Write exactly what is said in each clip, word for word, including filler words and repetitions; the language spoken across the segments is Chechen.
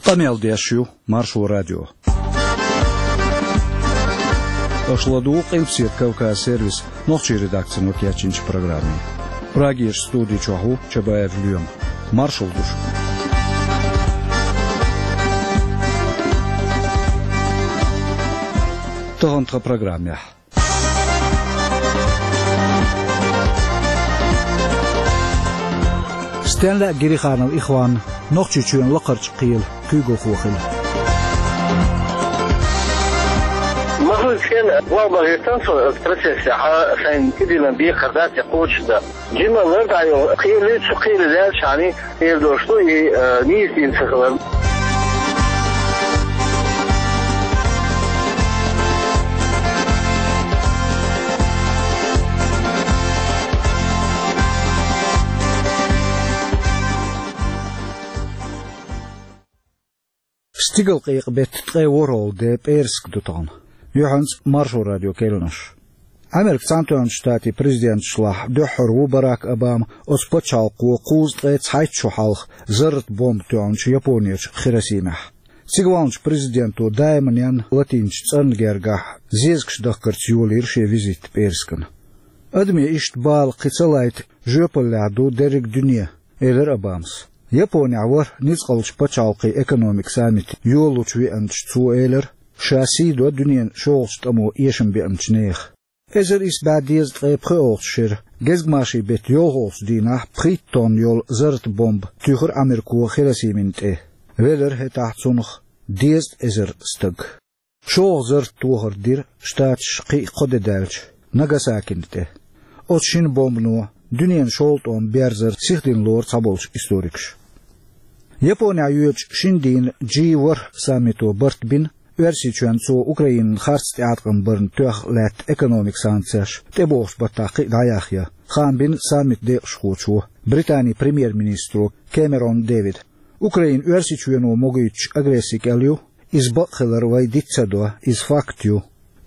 Къамел деш ю Маршо радио. Аша ладугӀу Къилбаседа Кавказ сервисан нохчийн редакцино кечйинчу программе. Прагерчу студи чохь ву Чабаев Лоьма. Маршалла ду шуьга. Тахана тхан программехь. Стенна лаьа Гириханов Ихван Нохчийчоьнан лакхарчу кхелан куьйгалхо хилла. Ма хуьлу стенна, валла ма хӀоьттина со процессехь, шайна тидилан бекхар дац я кхочушдан. Жима лар дӀайо, кхеле, цу кхеле лаьллачхьана, эр долуш ду и, э, нийса дина ца хилар. Стигалкъекъа беттан ткъе ворхӀалгӀа де пӀераска ду тахана. Юьхьанца Маршо радион керланаш. Америкин Цхьаьнатоьхначу Штатийн президенташлахь дуьххьара ву Барак Обама оцу пачхьалкхо кхузткъе цхьайтта шо хьалха зарратан бомба тоьхначу Японерчу Хиросимехь. Цига вахначу президенто даиманна латийначу цӀарна гергахь зезагаш дахкарца йолийра шен визит пӀераскана. Адамийн иштта бала кхин ца лайта жоьпаллехь ду дерриг а дуьне, элира Обамас. Японехь вара ницкъалчу пачхьалкхийн экономикан саммит йолалучу веанчу цо элира, ша сий до дуьненан шолгӀачу тӀамо эшам беанчу нехан. Эзар исс бӀе дезткъе пхоьалгӀачу шеран гезгмашин беттан йолхалгӀачу дийнахь пхийттонна йолу зарратан бомба туьйхира Америко Хиросимина тӀе. Велира хӀетахь цунах дезткъа эзар стаг. ШолгӀа зарратан тохар дира Штаташа кхин а кхо де даьлча, Нагасакина тӀе. Оцу шина бомбано дуьненан шолгӀа тӀом берзар сихдина лору цхьаболчу историкаша. Японехь йоьдучу шина дийнан джи ворхӀ саммито барт бина, Оьрсийчоьнна цо Украинина харц тӀеӀаткъам барна тоьхна лаьтта экономикан санкцеш тӀебогӀучу баттахь кхин а дӀаяхъян, хаам бина саммитан декъашхочо, Британин премьер-министро Кэмерон Дэвида. Украина Оьрсийчоьно могуьйтучу агрессин кӀел ю, иза бакъ хилар вай диц ца до, иза факт ю.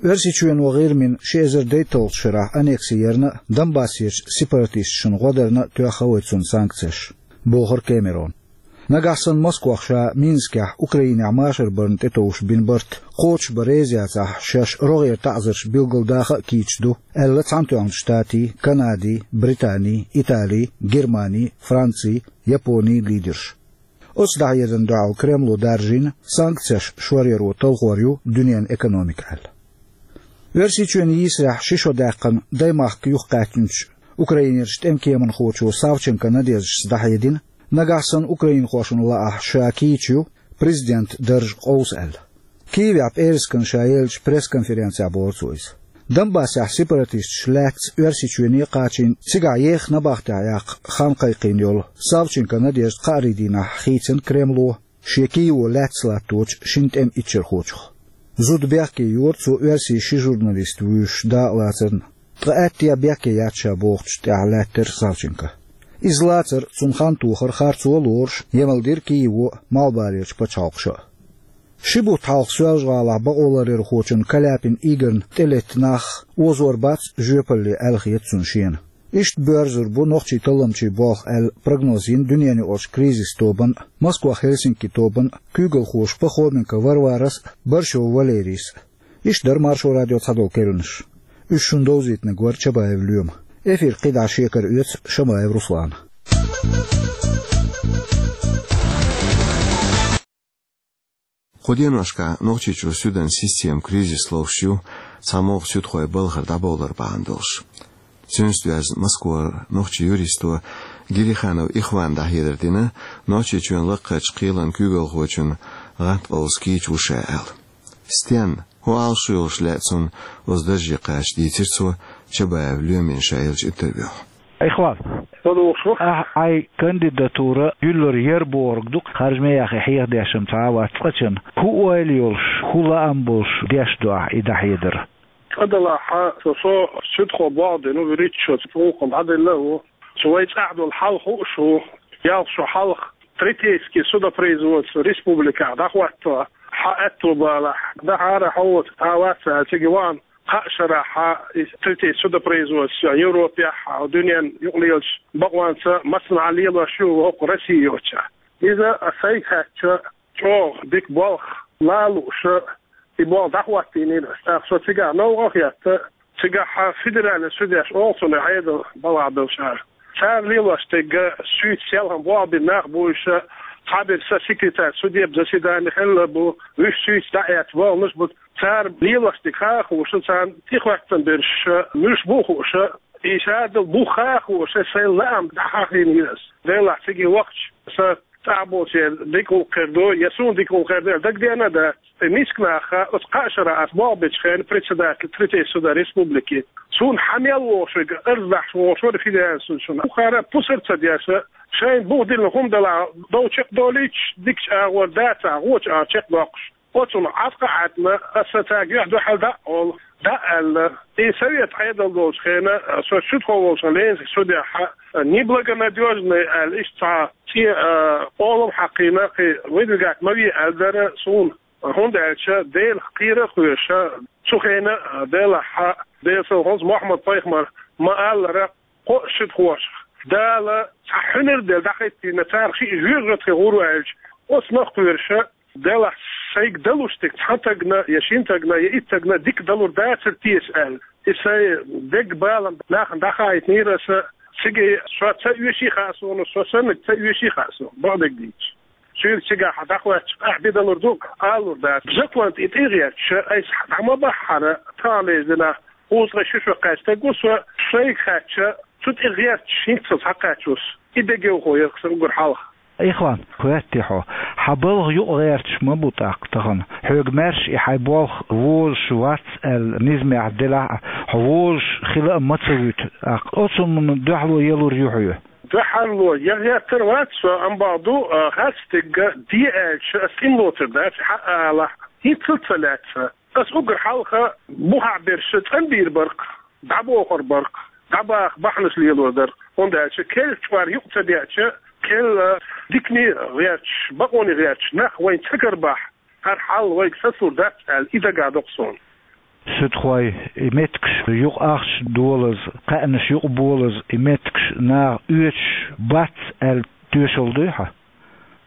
Оьрсийчоьно ГӀирмина ши эзар дейтталгӀачу шарахь аннекси ярна а, Донбассерчу сепаратисташна гӀо дарна а тоьхна вай цунна санкцеш, бохура Кэмерона. Нагахь санна Москох ша Минскехь Украинехь машар барна тӀетовжуш бина барт кхочушбан реза яцахь, шаьш рогӀера таӀзарш билгалдаха а кийча ду, аьлла Цхьаьнатоьхначу Штатийн, Канадин, Британин, Италин, Германин, Францин, Японин лидерша. Оцу дӀахьедарна дуьхьал Кремло даржийна, санкцеш шоръяро талхор ю дуьненан экономика аьлла. Оьрсийчоьнан йийсарехь ши шо даьккхина даймахка юхакхаьчначу Украинерчу тӀеман кеманхочо Савченко Надеждас дӀахьедина, нагахь санна украинхошна лаахь ша кийча ю, президентан дарж къовса аьлла. Киевехь пӀераскана ша еллачу пресс-конференцехь бохура цо иза. Донбассехь сепаратисташ лаьцна Оьрсийчоьне а кхачийна, цигахь еха набахтехь яккха хан кхайкхийна йолу Савченко Надежда кхаарин дийнахь хийцина Кремло шен Киево лаьцна латточу шина тӀеман иччархочух. Зуда бехке йора цо оьрсийн ши журналист вуьйшуш дакъалацарна, ткъа аьттехьа бехке яц ша бохучу тӀехь лаьттара Савченко. Иза лацар, цунна хан тохар харцо а лоруш, емал дира Киево а, малхбалерчу пачхьалкхаша а. Ши бутт хьалха Соьлжа-ГӀалахь бакъоларъярхочун Каляпин Игорьна тӀелетта нах озор бац жоьпалле аьлла хета цунна шена. Иштта боьрзур бу нохчийн талламчийн болх аьлла прогноз йина дуьненаюкъарчу кризисан тобанан а, Москва-Хельсинки тобанан а куьйгалхоша Пахоменко Варварас а, Борщев Валерийс а. Иштта дара Маршо радион цхьадолу керланаш. Уьш шуна довзийтинарг вара Чабаев Лоьма. Эфир кхидӀа шекара оьцу Шамаев Руслана. Кху деношкахь Нохчийчу суьдан система кризис ловш ю, цхьа могӀа суьдхой балхара дӀабовлар бахьана долуш. Цуьнца доьзна Москвара нохчийн юристо Гириханов Ихвана дӀахьедар дина, Нохчийчоьнан лакхарчу кхелан куьйгалхочун гӀант къовса кийча ву ша аьлла. Стенна, хӀун Ӏалашо йолуш лаьа цунна оцу дарже кхача, дийцира цо Чабаев Лоьмина ша еллачу интервьюхь. Ихван. Со духуш ву. Ахь хьайн кандидатура юьллур яра бохург ду-кх, харжаме яхе хьехадеш-м цхьа а вац цкъачунна. ХӀун ойла йолуш, хӀун лаам болуш деш ду ахь и дӀахьедар? Цкъа-делахь, со, со суьдхо болх дина ву, вуьрхӀитта шо цу гӀуллакхна дӀаделла а ву. Цу вай цӀахь долу хьал хууш ву, ялх шо хьалха третейский судопроизводство республикехь дӀахӀотто, хьан аьтто балахь, дахьара хьо цхьа а вац аьлла, цига вахана кхаа шарахь и третейский судопроизводство Европехь а, дуьненан юкъалелачу бакъонца массанхьа лелош ю хӀокху Россия йоцчохь. Иза а сайга хаьттича, чӀогӀа дика болх лалуш, и болх дӀахӀоттийнера. ТӀаккха со цигахь новкъа хетта, цигахь федеральный судьяш олу цунах Ӏедал балха беллачара. Цара лелош дерг, суьйца селхана болх бина нах бу уьш, цхьаберш сан секретарь судеб заседани хилла бу, уьш суьйца дӀаэцна болханаш бу. Цара лелош дерг хаа хууш, царна тӀехӀоьттина берш муьлш бу хууш, и шадолу бух хаа хууш, сайн лаам дӀахьахийнера ас. Делахь цига вахча, сан цӀахь болчеран дика гӀуллакх хир ду, я суна дика гӀуллакх хир ду аьлла дагадеана а дац. И миска нах, оцу кхаа шарахь ас болх бечу хенахь председатель третьего суда республики, суна хьан мел вогӀуш верг, арз дахьаш вогӀуш вара федеральный судья шуна. Бухара пусар ца деш, шайна бух диллина хӀума делахь, дов чекхдолуьйтуш, дикачу агӀор дацахь, вочу агӀор чекхдоккхуш. Оцунах Ӏаткъа а Ӏаьтна, аса цаьрга юьхь дуьхьал дӀа а олу, дӀа а аьлла. И совет Ӏедал долчу хенахь, со шуьтхо волчу Ленский судехь, неблагонадёжный аьлла, иштта цхьа цӀе, а, къолам хьаькхна, кхин выдвигать ма ве аьлла дара суна, хӀунда аьлча Делах кхера а кхоьруш, цу хенахь, а, делахь, Делан салам хуьлда цунна, Мухьаммад-пайхамара ма-аллара, кхо а шуьтхошах Дала цхьа хьуьнар а делла дӀахӀиттийна, царах шиъ жоьжахати гӀур ву аьлча, оцунах кхоьруш, делахь сайга далуш дерг цхьана стагана, я шина стагана, я итт стагана дика далур дацара теша аьлла. И сайн деган балам нахана дӀахаийтинера аса, цига со ца оьший хаьа суна, со саннарг ца оьший хаьа суна, бакъдерг дийцича. Цуьнга цигахь дӀахӀоьттича, ахь бен далур ду, алалур дац. Закон тӀе тӀегӀерташ, айса дӀа ма баххьара, таханлерчу дийнахь кхузткъе ши шо кхаьчна стаг ву со, сайга хаьттича, цу тӀе гӀерташ хӀинцца схьакхаьчна ву со. И дегайовхо яра сан уггар хьалха. Ихван, хоьттий хьо, хьан балха юкъа гӀерташ ма бу тӀаккха тахана. Хьоьга маьрша и хьайн болх вожуш вац аьлла низамехь делахь а, хьо вожуш хила а ма ца вуьту тӀаккха. Оцунна дуьхьало ялур ю хьоьга? Дуьхьало ян гӀертар вац со, амма бакъду, а, харц дерг де аьлча, ас цӀена лоцур дац, хьан а алахь, хӀинццалц ца лаьцна. Ас уггар хьалха бухахь берш цӀанбийр бара-кх, дӀабохур бара-кх, дӀабаха бахьанаш лелор дара-кх, хӀунда аьлча керла чкъор юкъа ца деача, керла дикане гӀерташ, бакъоне гӀерташ нах вайна ца карабахь, хӀара хьал вайга сацалур дац аьлла, и дагадо-кх суна. Суьдхой, и меттигаш юкъа ахча долаза, кхаьънаш юкъа болаза, и меттигаш наха оьцуш бац аьлла тоьшалла дуй хьан?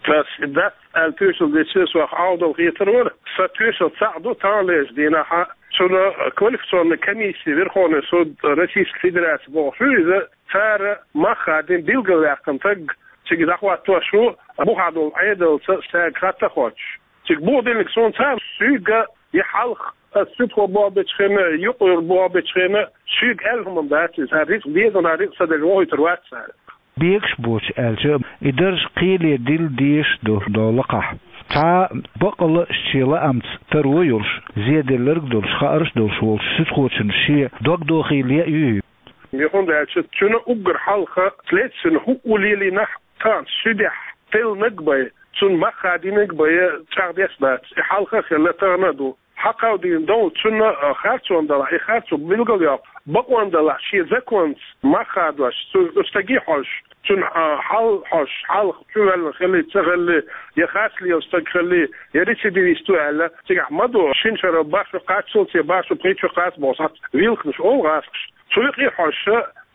Ас и дац аьлла тоьшалла деча, со Ӏовдал хетар вара. Сан тоьшалла цхьаъ ду, таханлерчу дийнахь цуьнан квалификационная комиссия, Верховный суд Российской Федерации бохуш ю иза, цара мах хадийна билгалваьккхина стаг цига дӀахӀоттош ву, бухахь долу Ӏедалца цаьрга хатта а хоттуш. Цига бух диллинарг суна цара, соьга, я хьалха ас суьдхо болх бечу хенахь, юкъара болх бечу хенахь, соьга аьлла хӀума дац иза, цара рицкъ деза, цара рицкъ ца делча вохуьйтур вац цара. Бегаш боцуш аьлча, и дарж кхеле дилла дезаш ду, до лакхахь. Цхьа бакъалла а шен лаамца таро а йолуш, зеделларг а долуш, хаарш а долуш волчу суьдхочун шен дог дохийла яа юй? Михунда аьлча, цуьнан уггар хьалха следственный хӀуъу лелийнехь, тахана суьдехь теллинарг а бен, цунна мах хадийнарг а бен, чӀагӀдеш а дац. И хьалха а хилла, тахана а ду. Хьакховдийна долу цунна, а, харцо далахь, и харцо билгалйоккху, бакъо далахь, шен законца мах хадош, цу, цу стаге хьожуш, цуьнан, а, хьал хьожуш, хьалха чувоьллина хилли, ца хилли, я харц лелаш стаг хилли, я рецидивист ву аьлла, цигахь ма ду, шина шарал баш ву кхаччалц, я баш ву пхийтта шо кхац бохуш, схьа вилхнаш олу гӀазкхаша. Цу юкъе хьожуш,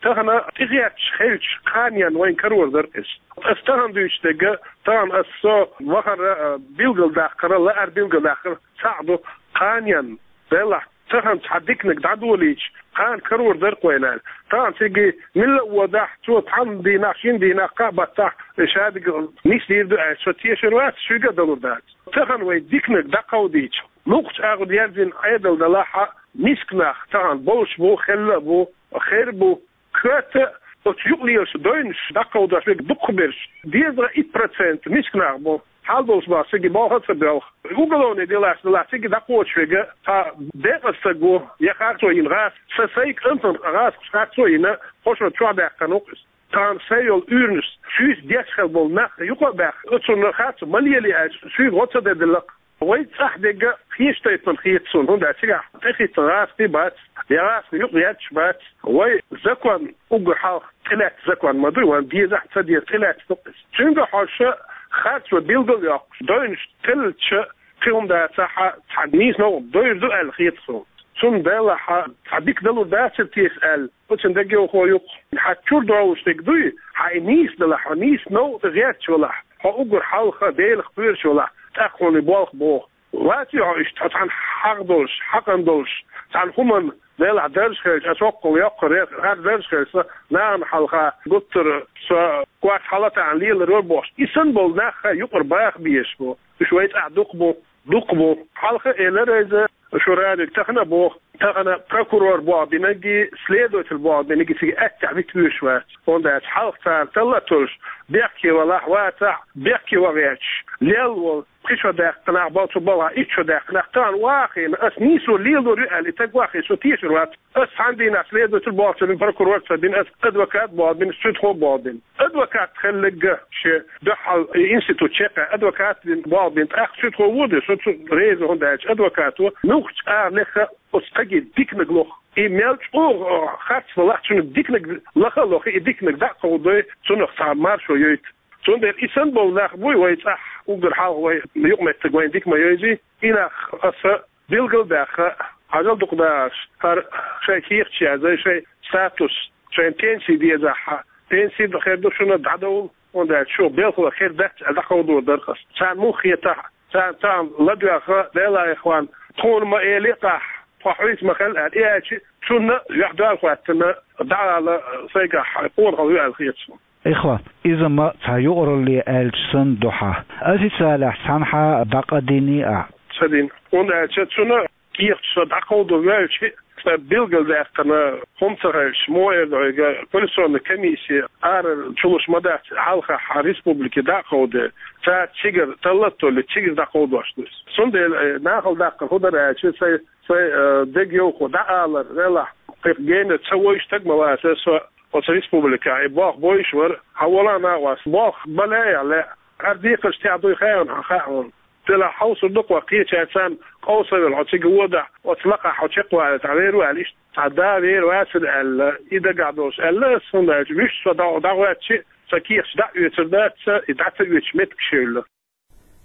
тахана тӀегӀерташ хилча, кханенна вайна карор дара иза. Ас тахана дуьйцуш дерг, тахана ас со вахара, а, билгалдаккхара, лаара билгалдаккхара, цхьаъ ду, кханенна, делахь, тахана цхьа диканиг дӀадолийча, кхана карор дара-кх вайна аьлла. Тахана цига милла а водахь, цо цхьана дийнахь, шина дийнахь, кхаа баттахь, шадерг нисдийр ду аьлла, со тешар вац, шуьга а далур дац. Тахана вай диканиг дӀакховдийча, лукхачу агӀор ерзийна Ӏедал далахь а, миска нах тахана болуш бу, хилла а бу, хир а бу, коьрта оцу юкъалелаш дойнаш дӀакховдош верг дукхахберш, дезткъа итт процент миска нах бу, хьал долуш бахьа цига болх а ца боьлху. Уголовный делаш далахь цига дӀакхочуш верг цхьа декъаза стаг ву, я харцо йина гӀазкхи, сан сайн кӀантана гӀазкхаша харцо йина, кхо шо чохь даьккхина ву-кх иза. Тахана сайн йолу уьйранаш, шуьйца деш хила болу нах юкъа а баьхна, оцунна харцо ма лелий аьлча, шуьйга гӀо ца дан делла-кх. Вай цӀахь дерг кхечу тайпана хета суна, хӀунда аьлча цигахь тӀехӀиттина гӀазкхий бац, я гӀазкхий юкъа етташ бац. Вай закон уггар хьалха тӀелаьцна закон ма ду, вайн дезахь а, ца деза тӀелаьцна ду-кх иза. Цуьнга хьожуш, харцо билгалйоккхуш, дойнаш теллича, кхин хӀума дацахь, цхьа нийса новкъа дойр ду аьлла хета суна. Цунна делахь, цхьа дика далур дацара теша аьлла, оцунна дегайовхо ю-кх. Хьан чуьра долуш дерг дуй, хьан и нийса далахь, хьо нийса новкъа тӀе гӀерташ валахь, хьо уггар хьалха Делах кхоьруш валахь, тӀаккха хьуна болх боху. Вац хьо иштта, хьо цхьана хьагӀ долуш, хьакъан долуш, цхьана хӀуманна делахь дарж хилча, ас воккхал йоккхур яра, хӀара дарж хилча, нахана хьалха гуттара со коч хьалатаьӀна лелар вара бохуш. И санна болу нах хан юкъара баха безаш бу. Уьш вай цӀахь дукха бу, дукха бу. Хьалха а элира иза, шу радиога тахана а боху, тахана прокурор болх бинарг а, следователь болх бинарг а цига аттехь вита вуьйш вац. ХӀунда аьлча хьалха царна талла а толлуш, бехке валахь, вацахь, бехке ван гӀерташ, лелла волу, пхи шо даьккхина нах бу цу балхахь, итт шо даьккхина нах, тахана вахийна, ас нийсо лелор ю аьлла, и стаг вахийна, со тешар вац. Ас цхьана дийнахь следователь болх ца бина, прокурор ца бина, ас адвокат болх бина, суьдхо болх бина. Адвокат хилларг а шен дуьхьал и институт чекхъяьлла, адвокат бина болх бина, тӀаккха суьдхо ву а ду, со цу реза, хӀунда аьлча адвокато муьлххачу агӀор леха оцу стаге диканиг лоху. И мел чӀогӀа харц валахь, цуьнан диканиг лаха а лоху, и диканиг дӀа а кховдой, цунах цхьа маршо йойту. Цундела и санна болу нах буй вай цӀахь, уггар хьалха вай юкъаметтиг вайн дика ма йойзи, и нах аса билгал а баьхна, хьажал дукха дахарш, хӀара шайн кехаташ язъяй, шайн статус, шайн пенсий дезахь, пенсий хир ду шуна, дӀадовла, хӀунда аьлча шу белхалой хир дац аьлла, дӀакховдор дара ас. Царна муха хетахь, царна цхьаъ ладоьгӀна, Делан ихван, тхуна ма элий-кх ахь, тхо хьуьйца ма хила аьлла, и аьлча, цунна юьхь-дуьхьал хӀоьттина, дӀаала сайгахь къонахалла ю аьлла хета суна. Ихван, иза ма цхьа юкъаралле аьлча санна ду хьан. Официалехь цхьанхьа дӀакхайдиний ахь? Ца дина. ХӀунда аьлча цунна кехаташ со дӀакховдо ваьлча, сан билгалдаьккхина хӀума ца хилча, муха эр ду хьоьга, коллекционная комиссия ара чулуш ма дац, хьалхахь республике дӀа а кховдо, цара цигара талла а толлий, цигара дӀакховдош ду иза. Цундела, э, нахала даккхар хӀун дара аьлча, сайн, сайн, э, дегайовхо дӀаалар, велахь, кхин генара ца войуш стаг ма вацара со оцу республикехь, и болх бойуш вара, хьан вала а накъост, болх бан лаьа лаьа, хӀара декхарш тӀехь дуй хаьа хьуна, хьан хаьа хьуна. Делахь хьовсур ду-кх хьо, кхечаьрца царна къовса а велла, хьо цига водахь, оцу лакхахь хьо чекхвалийта вер ву аьлла, иштта цхьа да вер вацара аьлла, и дагахь долуш аьлла ас, хӀунда аьлча вуьшта со дӀа-, дӀагӀоьттича, сан кехаташ дӀа а оьцур дац, и дӀа ца оьцуш меттигаш евлла.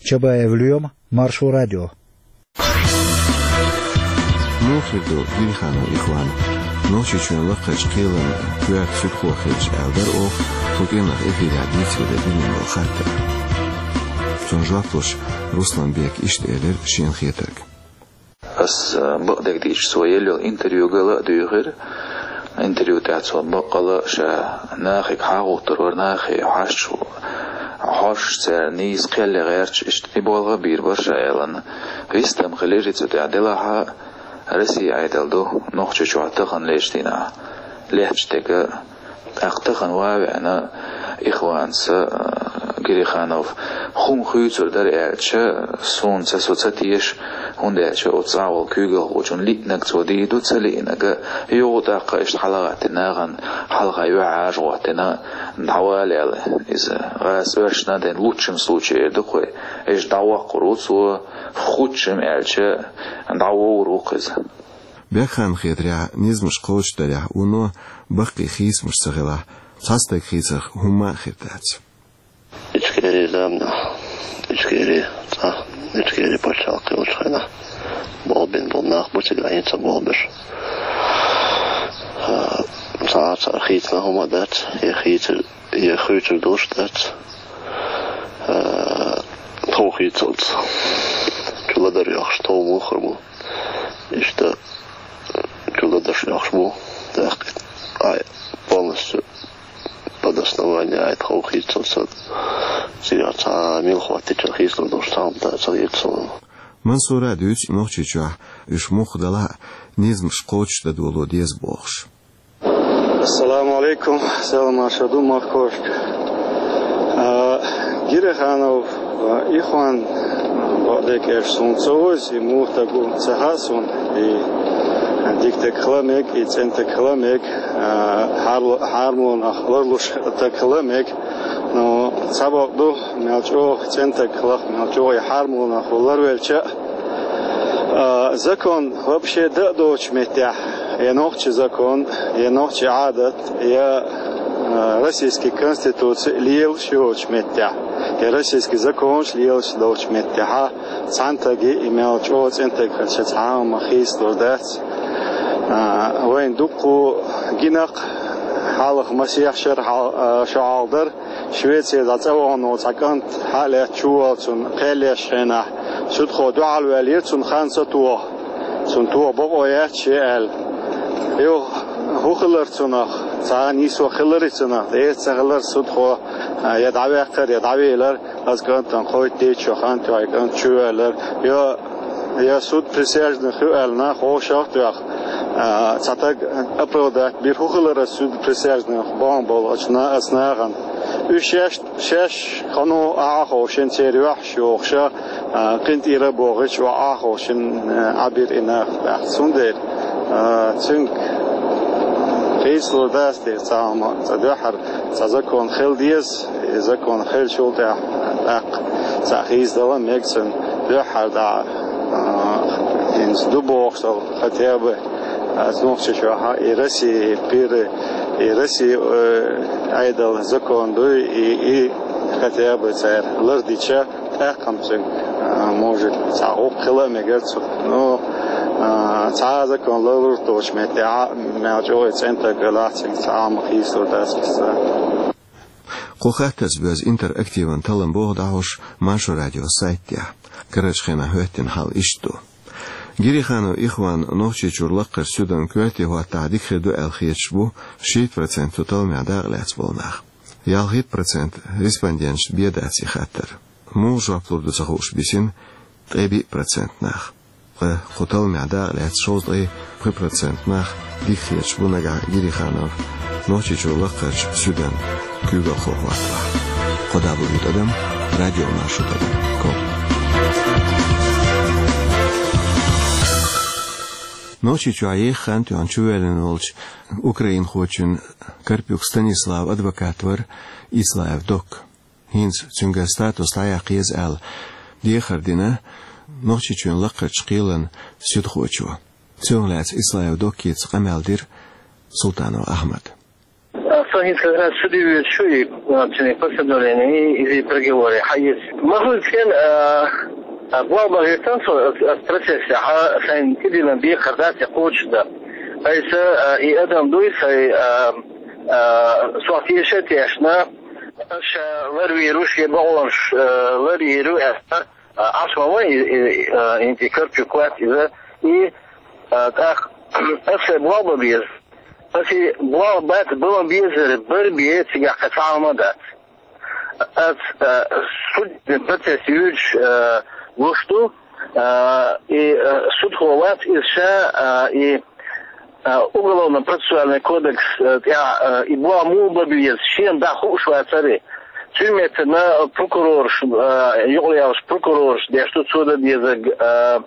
Чабаев Лоьма, Маршо радио. Муха хир ду Гириханов Ихван? Нохчийчоьнан лакхарчу кхелан коьрта суьдхо хилча аьлла дара оха, тхо кӀиранах эфирехь дийцаре дина долу хаттар. Цунна жоп луш, Русланбека иштта элира шена хетарг. Ас, а, бакъдерг дийцича, цо елла йолу интервьюгал а дуьйхира. Интервью тӀехь цо баккъала а ша нахе хьагӀуттур вара, нахе хьаьжча, хьожуш царна нийса кхел ян гӀерташ, иштта и болх а бийр бара ша аьлла. Вистам хилира и цу тӀехь, делахь а Россия Ӏедал ду Нохчийчохь тахана лечу дийнахь лаьтташ дерг а. ТӀаккха тахана ван а веана, Ихванца, а, Гириханов, хӀума хуьйцур дара аьлча, суна ца, со ца теша, хӀунда аьлча оцу цӀахь волу куьйгалхочунна лиънарг цо дийр ду, ца лиънарг а, юха тӀаккха иштта хьалагӀаттина нахана, хьалха юьхьӀаьржа гӀоттина, дӀавала аьлла. Иза гӀаза оьшшна а ден, лучшем случае эр ду-кх вай, иштта дӀавоккхур ву цо, худшем аьлча, дӀавовр ву-кх иза. Бекханна хетарехь, низамаш кхочушдарехь вуно баккхий хийцамаш ца хилахь, цхьа стаг хийцарх хӀумма а хир дац. Ичкери замнахь, Ичкери цӀа, Ичкери пачхьалкх йолчу хенахь болх бина болу нах бу цигахь хӀинца а болх беш. А, цхьа а цара хийцина хӀума а дац, я хийцар, я хуьйцур долуш а дац. А, тхов хийцалц. Чу ладар йохуш тхов муха хир бу. Иштта чу ладарш йохуш бу, тӀаккха ай полностью под основание ай тхов хийцалц. Цигахь цхьа мила хӀоттича хийцалур долуш цхьа хӀума ца хета суна. Мансура а дуьйцу Нохчийчохь уьш муха далахь а, низамаш кхочушдан доло деза бохуш. Ассаламу алейкум, салам аш ду махкошка. А, Гириханов, а, Ихван, а, бакъдерг аьлча, суна ца веза, и муха стаг ву ца хаьа суна, и дика стаг хила мега, и цӀена стаг хила мега, а, хьарла-, хьармонах ларлуш стаг хила мега. Но цхьа бакъ ду, мел чӀогӀа цӀена стаг хиларх, мел чӀогӀа и хьармонах ларвелча а, а, закон вообще дан а доцучу меттехь, я нохчийн закон, я нохчийн Ӏадат, я, а, российский конституци лелаш йоцучу меттехь, я российский законаш лелаш доцучу меттехь, цхьана стаге и мел чӀогӀа цӀена стаг хилча цхьа а хӀума хийцалур дац. А, вайн дуккха гина-кх, Хьалха масех шера хьал-, а, шо хьалха дара, Швецера цӀа вахана волу цхьа кӀант хьалаьцна чувоьллачунна кхел еш хенахь, судхо дуьхьал ваьллера цунна хан ца тоха. Цунна тоха бакъо яц шен аьлла. Юха хӀун хилар цунах? Цхьа нийсо хиларий цунах? Эца ца хилар судхо, а, я дӀаваьккхар, я дӀавелар. Аса кӀантана кхойтта дечо хан тоьхна кӀант чувоьллар. Я, я суд присяжных ю аьлла нах вовшах а тоьхна, а, цхьа таг оправдать бира. ХӀун хилар аса суд присяжных бохам болу аса на-, аса нахана? Уьш шаьш, шаьш хӀун ду ахьа а ховшина, церан юьхьаш йохуша, а, къинтӀера а бохуьйтуш, ва ахьа а ховшина, а, Ӏабира и нах тӀаккха. Цундела, а, цуьнга хийцалур дац те цхьа хӀума, цхьа дуьххьара, цхьа закон хила деза. И закон хилчул тӀаьхьа, тӀаккха цхьа хийцадала мега цунна дуьххьара дӀа, а, хӀинца ду бохуш долу, хотя бы, а, Нохчийчохь и Россия, и пир, и Россия, э, Ӏедал закон дуй, и, и хотя бы цара лардича, тӀаккха-м цуьнга, а, может, цхьа гӀуллакх хила а мегар цу. Ну, а, цхьа а закон лалур доцучу меттехь, мел чӀогӀа цӀена таг велахь, цуьнга цхьа а хӀума хийцалур дац аса. Кху хаттарца боьзна интерактиван таллам боху дӀахьош Маршо радион сайта тӀехь. Карарчу хенахь хӀоьттина хьал иштта ду. Гириханов Ихван Нохчийчуьра лакхарчу суьдан коьрте хӀоттахь дика хир ду аьлла хеташ бу шийтта процент цу талламехь дакъа лаьцна болу нах. Ялхитта процент респонденташна бен дац и хаттар. Муха жоп лур ду ца хууш бисина ткъе биъ процент нах. Ткъа кху талламехь дакъа лаьцна шовзткъе пхи процент нах дика хеташ бу нагахь Гириханов Нохчийчуьра лакхарчу суьдан куьйгалхо хӀоттахь. Кхо дабл ю тӀадам радио маршо тӀадам ком. Нохчийчохь еха хан тоьхна чувоьллина волчу украинхочун Карпюк Станиславан адвокат вара Ислаев Док. ХӀинца цуьнгара статус дӀаяккха еза аьлла дехар дина Нохчийчоьнан лакхарчу кхелан суьдхочо. Цунах лаьцна Ислаев Доккица къамел дира Султанов Ахьмада. Со хӀинца как раз суьде воьдуш ву и, а, цуьнан постановление, и, и приговоре хьаэца. Ма хуьлу цхьана, а, а, болх бан гӀертан со, а, а, процессехь, а, сайн тӀедиллина декхар дац, я кхочушдан. Айса, а, и адам дуй, сайн, а, а, сох теша а тешна, ша ларвийр ву, шен бакъонаш, а, ларйийр ву аьлла, а, Ӏаш ма ван и, и, а, и, и Карпюк вац иза, и, а, тӀаккха аса сайн болх бан беза. Аса и болх бац, бан безар бара бен цигахь кхин цхьа хӀума дац. Аса, а, судебный процесс йоьдуш, а, гуш ду, а, и, а, судхо вац иза ша, а, и, а, Уголовно-процессуальный кодекс, а, тӀехь, а, и болх муха бан беза, шена дӀа хууш вацара и. Цуьнан меттана прокурораш, а, юкъалелаш прокурораш деш ду, цо дан дезарг, а,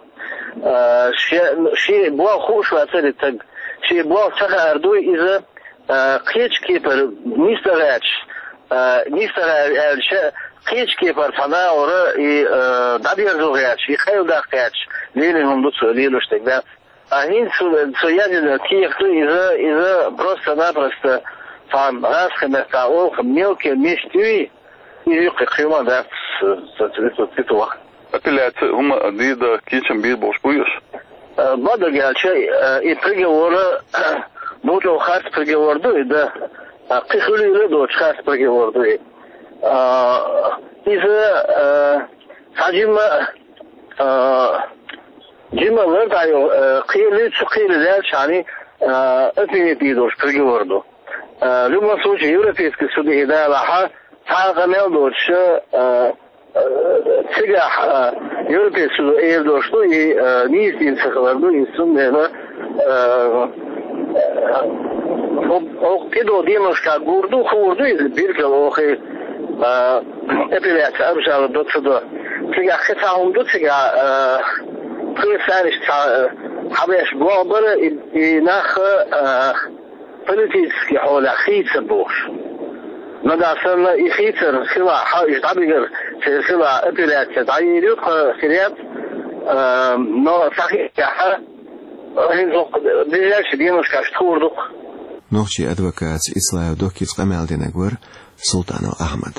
а, шен, шен болх хууш вацара и таг. Шен болх ца хаар дуй иза, а, кхечу кепара нисдахьаьрча, а, нисдахьа аьлча, кхечу кепара цхьа нахара и, а, дӀадерзо гӀерташ, и къайладаккха гӀерташ лелийна хӀума ду цо лелош дерг, да. А хӀинца цо, цо яздина кехат ду иза, иза просто-напросто цхьана гӀазкхийн маттахь олу-кх мелкая месть юй, иза юккъе кхин хӀума дац, ца, ца, ца, ца, ца, ца, ца. Апелляци хӀума дийр дан кийчам бийр болуш буй уьш? Э, бакъдерг аьлча, э, и приговор, э, муьлхха харц приговор ду и, да. Э, кхин хуьлийла а доцуш харц приговор ду и. Э, иза, э, цхьа жимма, э, жимма лар дӀайо, э, кхелий, цу кхелий лаьлча хьани, э, отменить дийр долуш приговор ду. Э, в любом случае, Европейский суд и далахьа, цхьа а къамел доцуша, э, Э, цигахь, э, Европейский суд эр долуш ду, и, э, нийса дийна ца хилар ду, и цундела, э, э, хӀо-, хӀокху кхидолу деношкахь гур ду, хуур ду иза билггал оха, э, апелляци обжаловать до ца до. Цигахь кхин цхьа хӀума ду, цигахь, э, пхи саниш цхьа, э, хьабеш болх бара, и, и нах, э, политический хьолехь хийцар бохуш. Нагахь санна и хийцар хилахь, хьо уьш дӀабигар церан хилахь, апелляция дӀайийр ю, тхан хир яц, а, но сахьихехьа, хӀинца ближайший деношкахь тхур ду-кх. Нохчийн адвокатца Ислаев Доккица къамел динарг вара Султанов Ахьмад.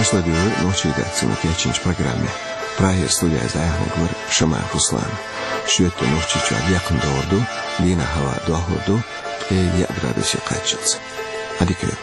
Аша ладуьйгӀира нохчийн редакцино кечйинчу программе. Прагера студехь иза дӀаяьхьнарг вара Шамаев Руслан. Шоьтан Нохчийчохь декхна догӀур ду, дийнахь хӀаваъ дохлур ду, э, яъ градусе къачуз. Гьадикай.